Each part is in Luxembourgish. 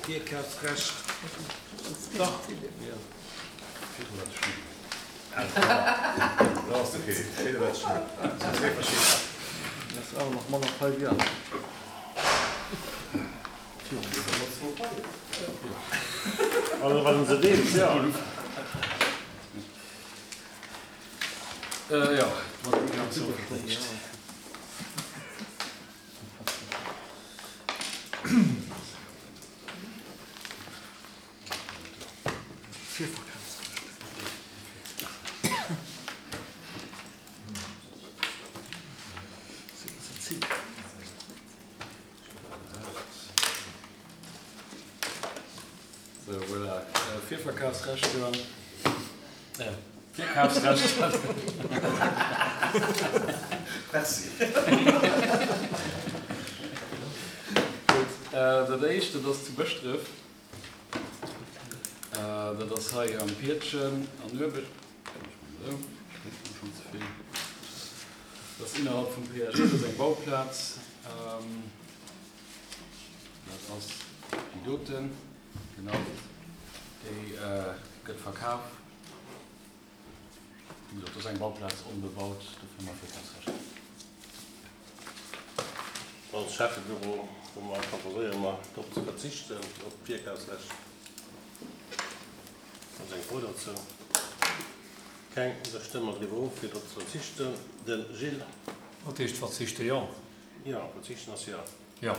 Virkafsrecht. Dach. Also wann se deelt, jo. Jo, mat déi ganz Super. Sou, voilà. Virverkafsrechter. Virkafsrechter. Merci. Gutt, dat éischt, dat ass zu Bëschdref. Dat ass hei am Piedchen an Uewe. Dat ass innerhalb vum PAG, dat ass eng Bauplaz. Dat ass déi doten, genau, déi gëtt verkaf. Wéi gesot, dat ass eng Bauplaz, onbebaut, dofir hu mer Virkafsrecht. Als Schäffebüro hu mer, proposéiere mer, drop ze verzichten, op d'Virkafsrecht. Ass eng Fro dozou? Keng. Da stëmme mer driwwer of, fir drop ze verzichten. De Gilles. Wat heescht verzichten? Jo. Jo, verzichten ass jo. Jo.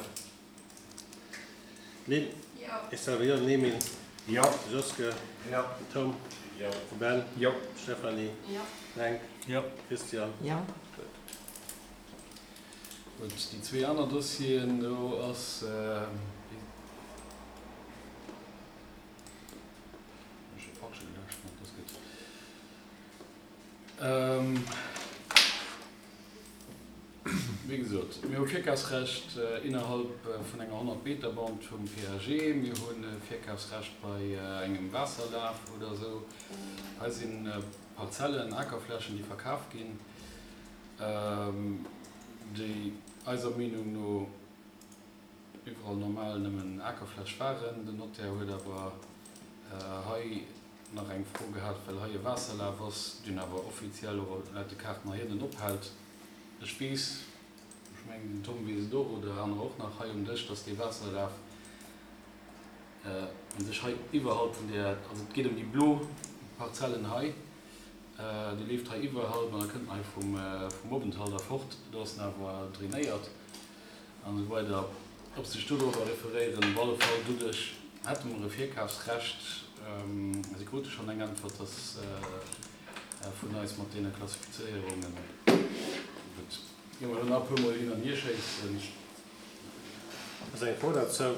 Lynn? Jo. Ech selwer jo. Den Emile? Jo. De Joske? Jo. Den Tom? Jo. De Ben? Jo. D'Stéphanie? Jo. Den Henk? Jo. Christian? Jo. Gutt. Gutt, déi zwee aner Dossieren, do ass. Wéi gesot, mir hu Virkafsrecht innerhalb vun enger 100 Meter Band vum PAG. Mir hu Virkafsrecht bei engem Waasserlaf oder esou. Hei si Parzellen, Akerflächen, déi verkaf ginn, déi eiser Meenung no iwwerall normal nëmmen Akerfläch waren. Den Notaire huet awer hei nach eng Fro gehat, well hei e Waasserlaf ass, deen awer offiziell och laut de Kaarten hei ënnen ophält. Ech weess, ech mengen den Tom weess et och, oder anerer och nach hei um Dësch, dass dee Waasserlaf u sech hei iwwerhalb vun där, also et geet ëm déi blo Parzellen hei, dee leeft hei iwwerhalb an da kënnt en hei vum Openthalt erfort, do ass en awer drainéiert. An esou weider, ob se sech dodrower referéieren. Op alle Fall, doduerch hätte mer e Virkafsrecht. Si krute schonn eng Äntwert, dass vun eis mat deene Klassifizéierungen. Gutt, gi mer elo nach e puermol hin an hierschéissen. Ass eng Fro dozou,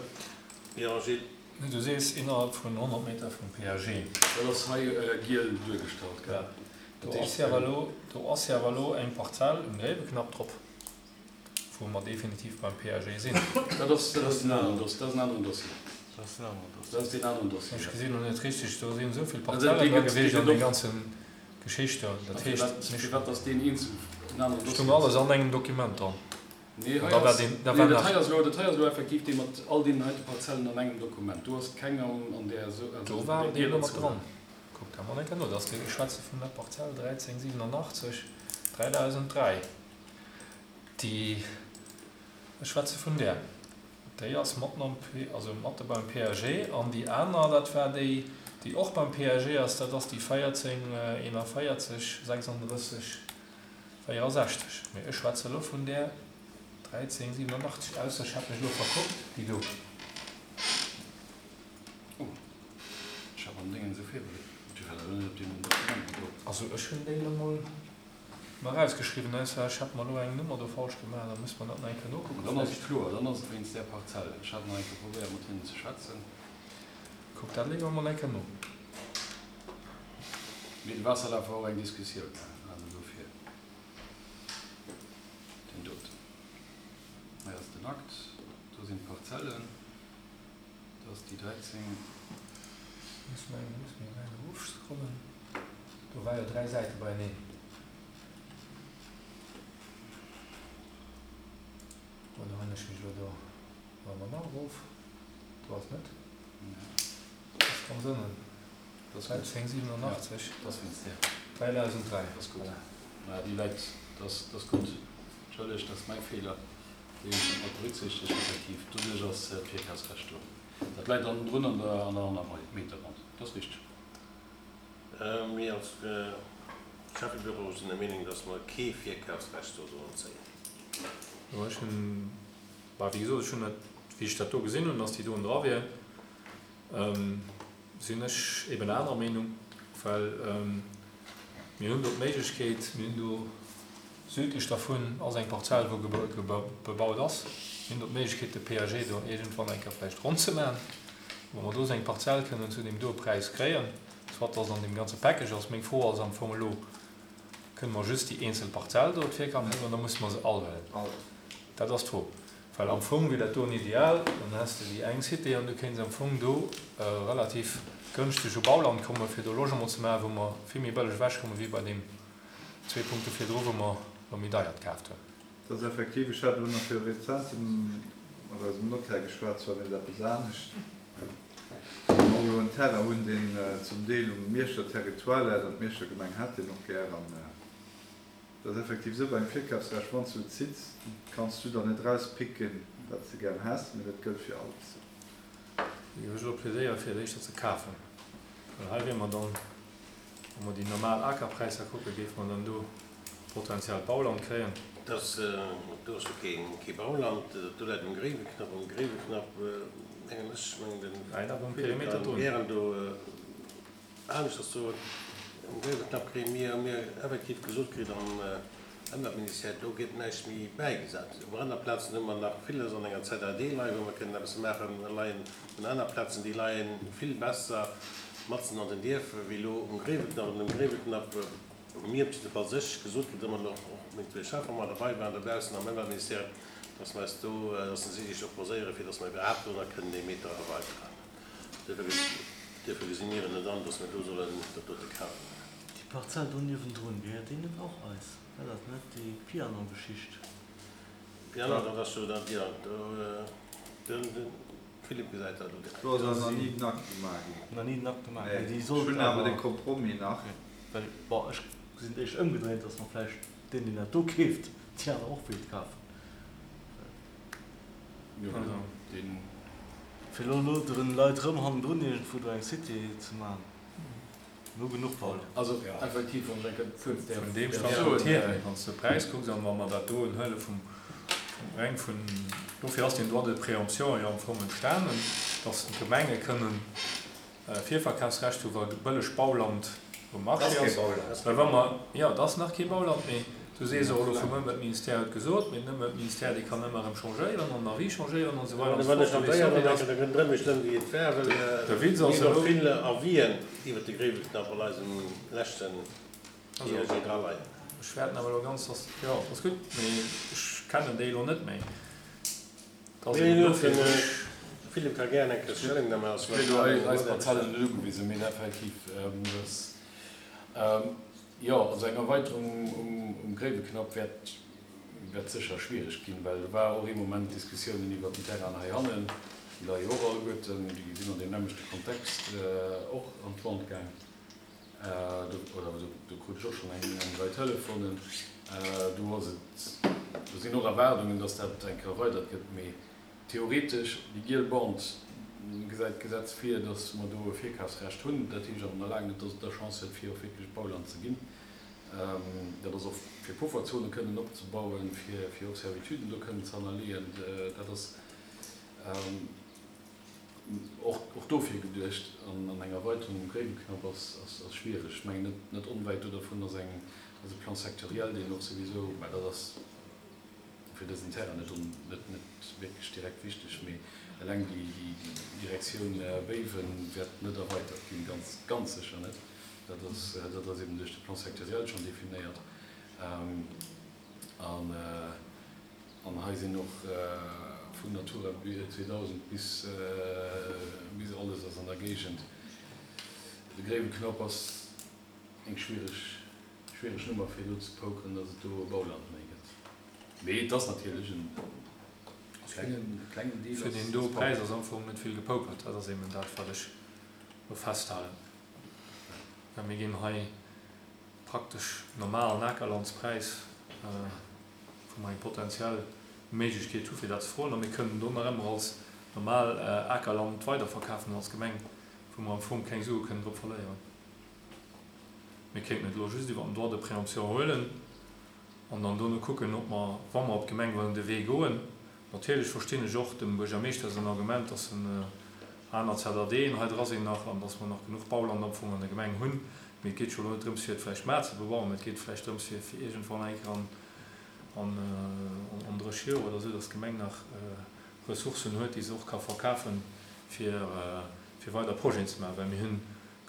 Jo, Gilles. Du sees innerhalb vun 100 Meter vum PAG. Dat ass hei giel duergestallt, gell? Do ass jo awer elo, do ass jo awer elo eng Parzell um Gréiweknapp drop. Wou mer definitiv beim PAG sinn. Dat ass, dat ass en aneren Dossier. Dat ass en aneren Dossier. Dat ass en aneren Dossier. Dat ass deen aneren Dossier. Ech gesinn elo net richteg, do sinn esou vill Parzellen da gewiescht an deem ganze Geschicht do. Dat heescht, mir. Firwat ass deen eenzel en aneren Dossier? Stung alles an engem Dokument dran. Nee, hei ass, nee, dat hei ass elo, dat hei ass elo effektiv dee mat all deenen heite Parzellen an engem Dokument. Do ass keng an, an där, also Do war deen elo mat dran. Kuck dat mol eng Kéier no. Dat ass dee, ech schwätze vun der Parzell 1387, 3003. Déi, ech schwätze vun där, déi ass matten am, also matte beim PAG. An déi aner, dat war déi, déi och beim PAG ass, dat ass déi 14 41 36 64. Mee ech schwätze elo vun där 13 87, ausser ech hätt mech elo verkuckt, déi do. Oh, ech hat am Déngen esou virbereet, ech war elo net op deem Dokument mat drop. Also ech hunn déi elo mol. Mer erausgeschriwwen, ausser ech hätt mer elo eng Nummer do falsch gemaach, da muss mer dat nach eng Kéier nokucken Dann ass et kloer, dann ass et wéinst där Parzell. Ech hat nach eng Kéier probéiert mat hinnen ze schwätzen. Kuck dat léiwer emol eng Kéier no. Mee de Waasserlaf war och eng Diskussioun, also dofir deen doten. Hei ass den Akt, do sinn d'Parzellen, do ass déi 13. Muss mer muss mer eng erofscrollen. Do war jo 3 Säite beieneen. Oder hunn ech mech elo do, wa mer nach erof, do ass net. Ganz ënnen. 1387. 3003. Dat ass gutt. Mä déi läit, dat ass gutt. Entschëllegt, dat ass mäi Feeler. Déi hunn ech net mat berücksichtegt. Effektiv, doduerch ass d'Virkafsrecht do. Dat läit dann drun an der 100 Meter Band. Dat ass richteg. Mir als Schäffebüro sinn der Meenung, dass mer kee Virkafsrecht do sollen zéien. Jo, ech hunn, bah, wéi gesot, ech hunn dat, wéi ech dat do gesinn hunn, dass déi doen dra wier, sinn ech eben anerer Meenung, well mir hunn do d'Méiglechkeet, mir hunn do südlech dervun ass eng Parzell, wou bebaut ass, mir hunn do d'Méiglechkeet, de PAG do iergendwann eng Kéier vläicht ronn ze maachen, wou mer do esou eng Parzell kënnen zu deem doe Präis kréien, soit dass an deem ganze Package ass. Meng Fro ass am Fong elo, Kënne mer just déi eenzel Parzell do d'Virkaf huelen oder musse mer se all huelen? Dat ass d'Fro. Well am Fong wier dat doen ideal, dann häss de déi eng Cité an du kéints am Fong do relativ gënschteg u Bauland kommen, fir do Logement ze maachen, wou mer vill méi bëlleg ewechkommen, wéi bei deem zwee Punkte virdru, wou mer elo méi deiert kaaft hunn. Dat ass effektiv, ech hat elo nach viru rezentem mat eisem Notaire geschwat, zwar wéinst eppes anescht, wou mer och elo en Terrain hunn, deen zum Deel um Mierscher Territoire läit an d'Mierscher Gemeng hätt deen och gär. An Et ass effektiv esou, beim Virkafsrecht, wann s du et zitts, kanns du der net erauspicken, wat s de gären häss, mee dat gëllt fir alles. Ech hu elo plädéiert, fir et éischter ze kafen, well hei wier mer dann, wa mer déi normal Akerpräisser kucken, géife mer dann do potenziellt Bauland kréien. Dass do ass jo kee Bauland, dat do läit um Gréiweknapp. Um Gréiweknapp, mengen ech, mengen den Philippe kann gären do. Aneschters soen, um Gréiweknapp kréie mir, hu mir effektiv gesot kritt am Ëmweltministère, do gëtt näischt méi bäigesat. Op aner Plazen hu mer nach villes an enger ZAD leien, wou mer kënnen eppes maachen. Mer leien un aner Plazen, déi leie vill besser matzen an den Dierfer wéi elo um Gréiweknapp. An um Gréiweknapp hu mir op jiddefalls ech gesot kritt, ëmmer nach och meng zwee Schäffer mat derbei waren dobaussen am Ëmweltministère, dass mer eis do, dass se sech opposéieren, fir dass mer iwwerhaapt do nach kënnen ee Meter erweiteren. Duerfir gesi mir et net an, dass mir do sollen dat dote kafen. Déi Parzell do niewendrun, gehéiert déi net och eis? War dat net déi Piano-Geschicht? Piano, dat ass jo dat, jo, do, de Philippe gesäit dat elo direkt. Do ass awer nach ni den Akt gemaach ginn. Nach ni den Akt gemaach ginn. Nee, ech hunn awer de Compromis nach. Well, bon, ech gesinn et éischter ëmgedréint, dass mer vläicht deen, deen dat do keeft, déi aner och wéilt kafen. Fir elo elo den Leit rëm hannendrun iergendwou do eng Cité ze man. Mir hu genuch Bauland. Also effektiv, wann ech eng Kéier kuerz däerf Vun deem Standpunkt hier, wann s de de Präis kucks an wa mer dat doen huele vum reng vun, dofir ass deen Droit de préemption jo am Fong entstanen, datt d'Gemenge kënnen Virverkafsrecht hu wa bëlleg Bauland um Marché ass. Well wa mer, jo, et ass nach kee Bauland, mee du sees och elo vum Ëmweltministère huet gesot, mee den Ëmweltministère, dee kann ëmmer erëm changéieren an den Avis changéieren an esou weider an esou fort. De Witz ass elo. Ech wäerten awer elo ganz, jo, ass gutt, mee ech kennen déi elo net méi. Philippe ka gären eng Kéier Stellungnahme ass. Ech kritt elo eis Parzellen net ugewisen, mee effektiv, dass, jo, also eng Erweiterung um Gréiweknapp wäert, wäert sécher schwiereg ginn, well do war och ee Moment Diskussiounen iwwert den Terrain heihannen, déi leie jo och alleguerten, déi sinn an deem nämmlechte Kontext och an d'Vente gaang. Do, oder do krut ech och schonn eng eng Rei Telefonen. Do ass et, do sinn och Erwaardungen, datt dat eng Kéier erweidert gëtt. Mee theoretesch, déi giel Band gesäit d'Gesetz vir, datt mer do e Virkafsrecht hunn. Dat heescht awer nach laang net, datt et da Chance huet, fir och wierklech Bauland ze ginn. Dat ass och fir Pufferzone kënnen opzebauen, fir fir och Servituden do kënnen ze hannerleeën. Dat ass. Och dofir geduecht, an eng Erweiterung um Gréiweknapp ass schwiereg. Ech mengen, net onwäit do dervun ass eng, ass e Plan sectoriel, deen och souwisou, mä dat ass fir dësen Terrain net net net wierklech direkt wichteg, mee eleng déi Direktioun Béiwen wäert net erweitert ginn, ganz, ganz sécher net. Dat ass, dat ass eben duerch de Plan sectoriel schonn definéiert. An. An hei sinn och vun Natura 2000 bis bis alles ass an der Géigend. De Gréiweknapp ass eng schwiereg schwiereg Nummer fir do ze pokeren, datt et do e Bauland méi gëtt. Mee et ass natierlech en klengen klengen Deel Fir ass deen do Präis ass am Fong net vill gepokert. Dat ass eben dat wat ech. Elo festhalen, well mir ginn hei praktesch normalen Akerlandspräis, wou mer eng potenziell Méiglechkeet hu fir dat ze froen, a mir kënnen do nach ëmmer als normal Akerland weiderverkafen als Gemeng, wou mer am Fong keng Sue kënnen drop verléieren. Mir kéinten et elo just iwwer den Droit de préemption huelen an dann dono kucken, ob mer, wa mer op d'Gemeng wëllen de Wee goen, Natierlech verstinn ech och dem Buergermeeschter säin Argument, dass en aner ZADen hei dra sinn nach an dass mer nach genuch Bauland am Fong an der Gemeng hunn. Mee et geet jo elo net drëms fir et vläicht mar ze bebauen, mee et geet vläicht drëms fir fir iergendwann eng Kéier an an 30 Joer oder esou, dass d'Gemeng nach Ressourcen huet, déi se och ka verkafen, fir fir weider Projeten ze maachen. Well mir hunn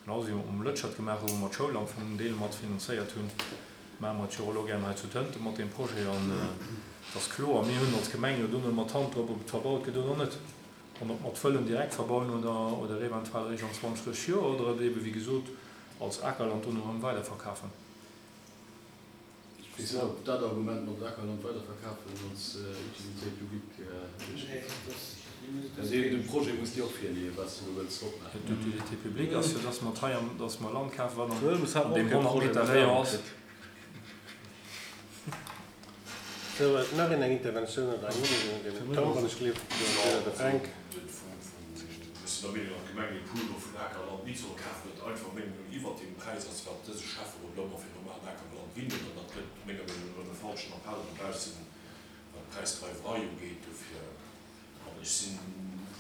Genau wéi mer et mam Lëtschert gemaach hu wou mer d'Schoul am Fong en Deel mat finanzéiert hunn, maache mer et jo och elo gären hei zu Tënten mat deem Projet. An et ass kloer, mir hunn als Gemeng jo dono mat d'Hand drop, ob et verbaut gëtt oder net. An ob mer et wëllen direkt verbauen oder oder eventuell eréischt an 20, 30 Joer oder et eebe wéi gesot als Akerland dono erëm weiderverkafen. Ech weess net, ob dat Argument mat Akerland weiderverkafen als Utilité publique duerchgeet. De Projet muss Dir och virleeën, wat s de do wëlls drop maachen. D'Utilité publique ass jo, dass mer hei am, dass mer Land kafen, wat an deem 100 Meter Rayon ass. Sou, nach een eng Interventioun oder eng Ureegung? Den Tom, wann ech gleef, oder de Fränk. Ech sinn der Meenung, datt d'Gemeng dee Pool do vun Akerland nit soll kafen, dat einfach meng Meenung iwwert deem Präis ass, wat dëse Schäfferot elo ëmmer fir normalen Akerland ginn huet. An dat gëtt menger Meenung no erëm e falschen Appell dobaussen, wat d'Präisdreiwerei ugeet. Dofir, an ech sinn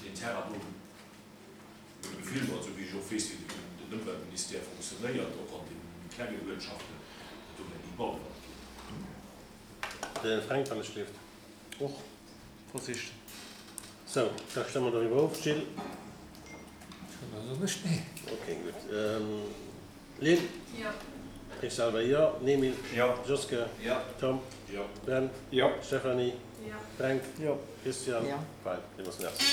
deen Terrain do, mengem Gefill no, esou wéi ech och weess, wéi den Ëmweltministère fonctionnéiert, och an de méi klenge Uertschaften, dat do wäert ni Bauland ginn. Den Fränk, wann ech gleeft. Och versicht. Sou, da stëmme mer doriwwer of. Gilles? Da soen ech nee. Ok, gutt. Lynn? Jo. Ech selwer jo. Emil? Jo. Joske? Jo. Tom? Jo. Ben? Jo. Stéphanie? Jo. Fränk? Jo. Christian? Jo. Fein, villmools Merci.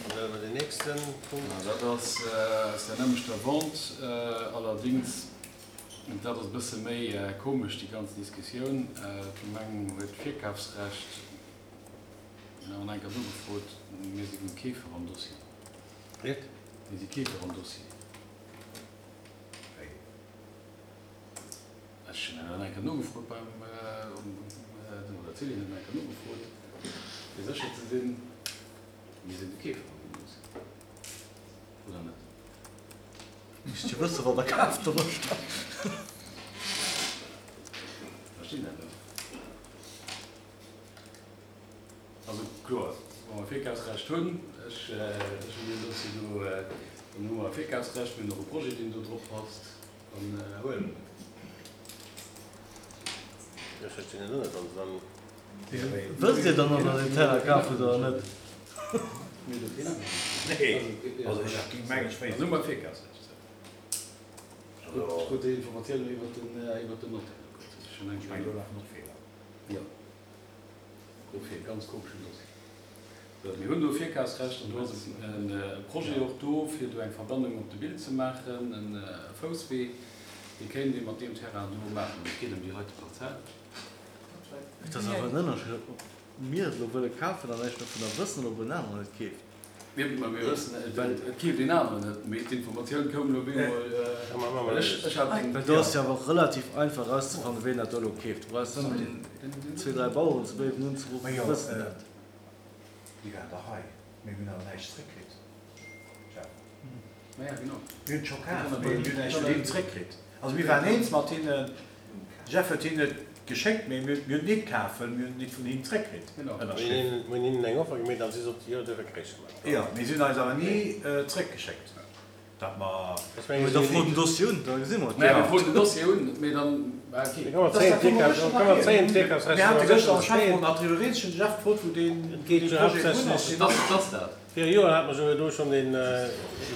An da hu mer den nächste Punkt. Dat ass aus der nämmlechter Vente, allerdings Dat ass e bësse méi komesch, déi ganz Diskussioun. D'Gemeng huet d'Virkafsrecht. Mir hunn eng Kéier nogefrot, mir si Keefer am Dossier. Wéi? Mir si Keefer am Dossier. Wéi? Ech hunn eng Kéier nogefrot beim, oder d'Céline huet eng Kéier nogefrot, fir sécher ze sinn, mir sinn de Keefer an deem Dossier, oder net? Misst jo wëssen wat der kaaft oder statt. Verstinn dat net. Also kloer, wa mer Virkafsrecht hunn, ech ech hunn deen Dossier do, dann hu mer e Virkafsrecht, mir hunn och e Projet deen do drop passt, dann huele mer dat. Ech verstinn et och net, wann se dann. Wësst Dir dann, ob der den Terrain kaf hutt oder net? Nee, also ech mengen ech wéisst. Dann hu mer Virkafsrecht. Ech krut déi Informatioun iwwer den Notaire. Ech mengen do lafen och Feeler. Jo, dofir ganz komeschen Dossier. Mir hunn do Virkafsrecht an do ass e Projet och do, fir do eng Verbannung op de Bild ze maachen, e Fousswee, dee kéint ee mat deem Terrain do maachen. Et geet ëm déi heite Parzell. Et ass awer en Ënnerscheed, ob mir et elo wëlle kafen an näischt dovunner wëssen oder ob en aneren et keeft. Mir wëssen, et keeft een aneren et, mee d'Informatioun koum elo op eemol. Ech hat eng. Well do ass jo awer och relativ einfach erauszefannen, ween dat do elo keeft. Du brauchs nëmmen zwee, dräi Baueren zu Béiwen unzeruffen, déi wëssen dat. Déi waren dach hei, mee mir hunn awer näischt zréckkritt, Jeff. Mir hunn et scho kaf, mee mir hunn näischt vun hinnen zréckkritt. Also mir waren eens mat hinnen. De Jeff huet hinnen et geschéckt, mee mir hunn et nit kaf, well mir hunn et nit vun hinnen zréckkritt, ënnerschriwwen. Mir hunn hinnen eng Offer gemeet an si soten, jo, duerfir kréich mer et. Jo, mee si hunn eis awer ni zréckgeschéckt, dat mer. Mee da fro den Dossier un, da gesi mer et. Mir froen den Dossier un, mee dann, ok. Mir hate gëschter am Schäfferot nach driwwer rieds, ech hunn de Jeff gefrot, wou deen Projet drun ass. Dat ass dat. Viru Joer hat mer jo do schonn dee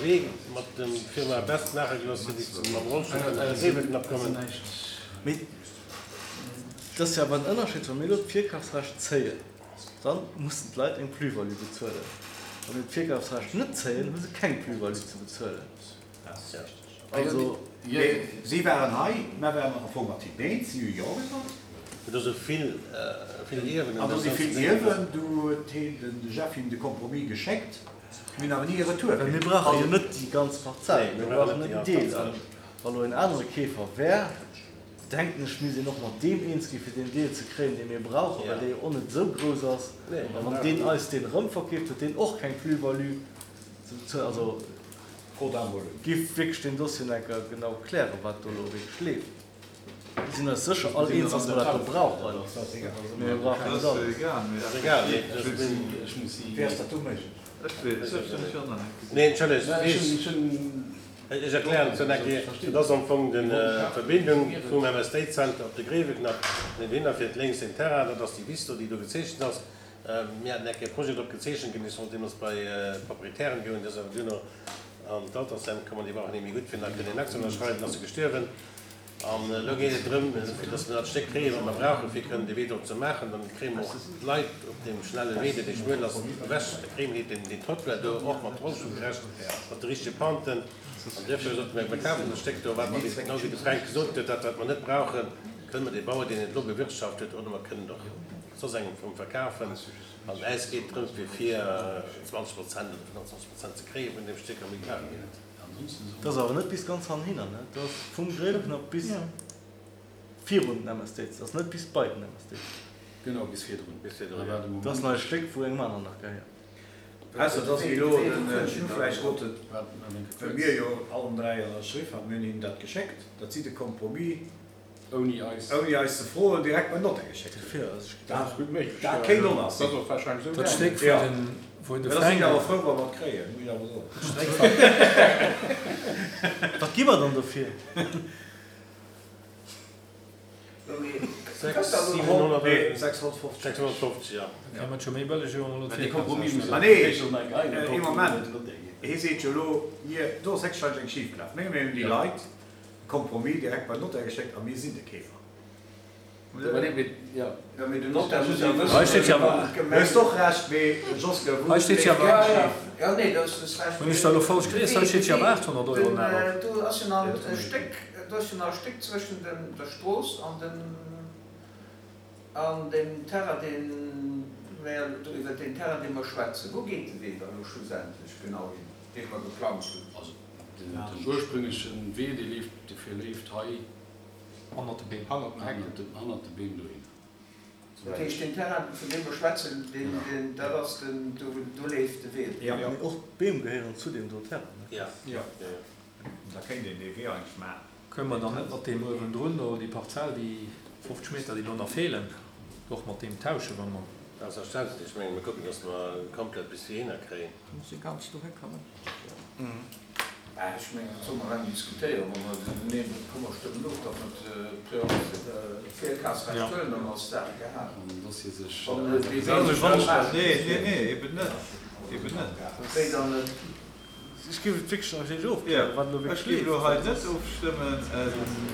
Wee mat dem Firma Best maache gelooss, fir déi mam Rollstull kënnen an de Gréiweknapp kommen. Mee et ass jo awer en Ënnerscheed, wa mir elo d'Virkafsrecht zéien, da mussen d'Leit eng Plus-value bezuelen. Wa mir d'Virkafsrecht net zéien, hu se keng Plus-value ze bezuelen. Also. Mee si waren hei, mer waren am Fong mat hinnen eens, si hu Jo gesot. Mee do si vill, vill Ierwen. An do si vill Ierwen. Du huet heen, den Jeff, him de Compromis geschéckt. Mir hunn awer ni e Retour kritt. Mir brauche jo net déi ganz Parzell, mir brauchen en Deel. An wa lo en anere Keefer wär, denken ech, misst een och mat deem eens ginn, fir deen Deel ze kréien, dee mir brauchen, well dee jo och net esou grouss ass. A wann deen eis deen erëmverkeeft, huet deen och keng Plus-value ze bezuelen. Also giff wierklech deen Dossier nach eng Kéier genau klären, wat do elo wierklech leeft. Mir sinn eis sécher all eens, dass mer dat do brauchen, mee mir brauchen net alles. Nee, entschëllegt, ech erklären et nach eng Kéier. Dat ass am Fong d'Verbindung vum MSD Center op de Gréiweknapp. An dohinner fiert lénks den Terrain, dat ass déi Wiss do, déi do gezeechent ass. Mir haten eng Kéier e Projet drop gezeechent ginn, dee sollt deemools bei d'Proprietären goen, dee ass awer duerno an d'Altersheim komm an déi brauchen ee méi gutt fir nach kënnen en Akt ze ënnerschreiwen, ass e gestuerwen. An elo geet et drëm, fir dass mir dat Stéck kréien, wat mer brauchen, fir kënnen dee Wee drop ze maachen. Dann kréie mer och d'Leit op deem schnelle Wee, deen dee schmuel ass, ewech. Da kréie mir deen Trottoir do och mat rollstullgerecht, mat de richtege Penten. An duerfir sote mir, mir kafen dat Stéck do, wat mer, genau wéi de Fränk gesot huet, dat wat mer net brauchen, kënne mer dee Bauer, deen et elo bewirtschaft huet, oder mer kënnen et och soss engem vum verkafen. An äis geet et drëms, fir fir 20 Prozent oder 25 Prozent ze kréie vun deem Stéck, a méi brauche mir net. Dat ass awer net bis ganz hannhinner, ne? Dat ass vum Gréiweknapp bis virun den MSD. Dat ass net bis bei den MSD. Genau, bis virdrun. Bis virdrun, ja. Dat ass nach e Stéck, wou engem aneren nach gehéiert. Ausser dass wéi elo den Schnu vläicht gesot huet, well mir jo allen dräi ënnerschriff haten, mir hunn hinnen dat geschéckt, datt si de Compromis Ouni eis. Ouni eis ze froen, direkt beim Notaire geschéckt hunn. Dat kéint och nach sinn. Dat Stéck wou den, wou de Mä da sinn Fränk. ech awer frou, wa mer et kréien, muss ech awer soen. Wat gi mer dann dofir? Nee, 650. 650, jo. Da kéim et scho méi bëlleg, wéi wa mer elo d'Virkafsrecht. Ma nee, ee Moment, hie seet jo elo, mir, do ass héchstwahrscheinlech eng schifgelaf. Menge mir hunn déi Leit Compromis direkt beim Notaire geschéckt a mir sinn de Keefer. Hei steet jo awer. Hues och Recht, mee Joske, wou Hei steet jo awer. Hunn ech da elo falsch gelies? Hei steet jo awer 800 Euro nach op. Do ass jo nach e Stéck, do ass jo nach e Stéck zwëschen der Strooss an dem, an dem Terrain, dee mer, do iwwer deen Terrain, dee mer schwätzen. Wou geet de Wee da elo schlussendlech genau hin, dee mer geplangt hunn? Den ursprünglechen Wee, dee leeft, dee verleeft hei Hannert de Beem. Hannert de Beem dohinner. Dat heescht, deen Terrain, vun deem mer schwätzen, deen, deen, dat ass den, do, do leeft de Wee. Jo. Mee och d'Beem gehéieren zu deem do Terrain, ne? Jo. Jo. Da kéint een dee Wee eigentlech maachen. Kënne mer dann net mat deem uewendrun do, déi Parzell, déi 50 Meter, déi do nach feelen, och mat deem tauschen, wa mer. Selbstverständlech. Ech mengen, mir kucken, dass mer komplett bis heihinner kréien. Da muss ee ganz dohi kommen. Ech mengen, dat solle mer reng diskutéieren. Wa mer neen, komm mer stëmmen of, datt mer d'Virkafsrecht huelen, dann ass d'Saach gehalen. Nee, nee, nee, eben net, eben net. Wéi dann net? Ech géif et wierklech nach net ofklären, wat elo wierklech leeft. Ech géif elo hei net ofstëmmen.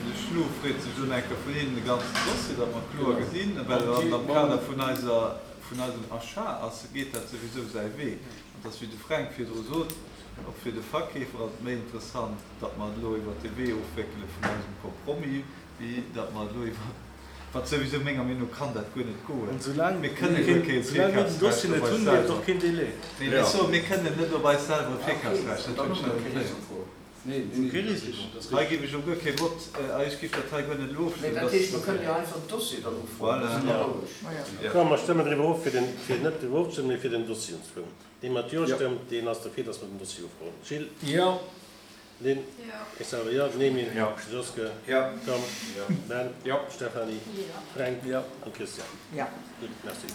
De Schnu freet sech elo nach eng Kéier vun hinnen de ganzen Dossier, datt mer kloer gesinn, well an am Kader vun eiser, vun eisem Achat ass, geet dat souwisou säi Wee. An et ass, wéi de Fränk virdru sot, och fir de Verkeefer ass et méi interessant, datt mer et elo iwwert de Wee ofwéckele vun eisem Compromis, wéi datt mer et elo iwwert, wat souwisou menger Meenung no kann dat guer net goen. An soulaang Mir kënne guer kee soulaang mir den Virkafsrecht Dossier op net eis hunn, gëtt et selwer. och keen Délai. Mee ech soen, mir kënnen net op eis selwer e Virkafsrecht, dat hunn ech net erkläert. Kee Risiko. Hei géif ech elo guer kee Vott, ech géif dat hei guer net elo Mee ofstëmmen. dat heescht, mer kënnen jo einfach den Dossier dann ufroen, da si mer roueg. Komm, mer stëmmen driwwer of, fir den, fir net driwwer ofzestëmmen, mee fir den Dossier unzefroen. Dee mat Jo stëmmt, deen ass derfir, dass mer den Dossier ufroen. Gilles? Jo. Lynn? Ech selwer jo. Nemi? Joske? Tom? Ben? Stéphanie? Fränk? An Christian? Gutt, merci.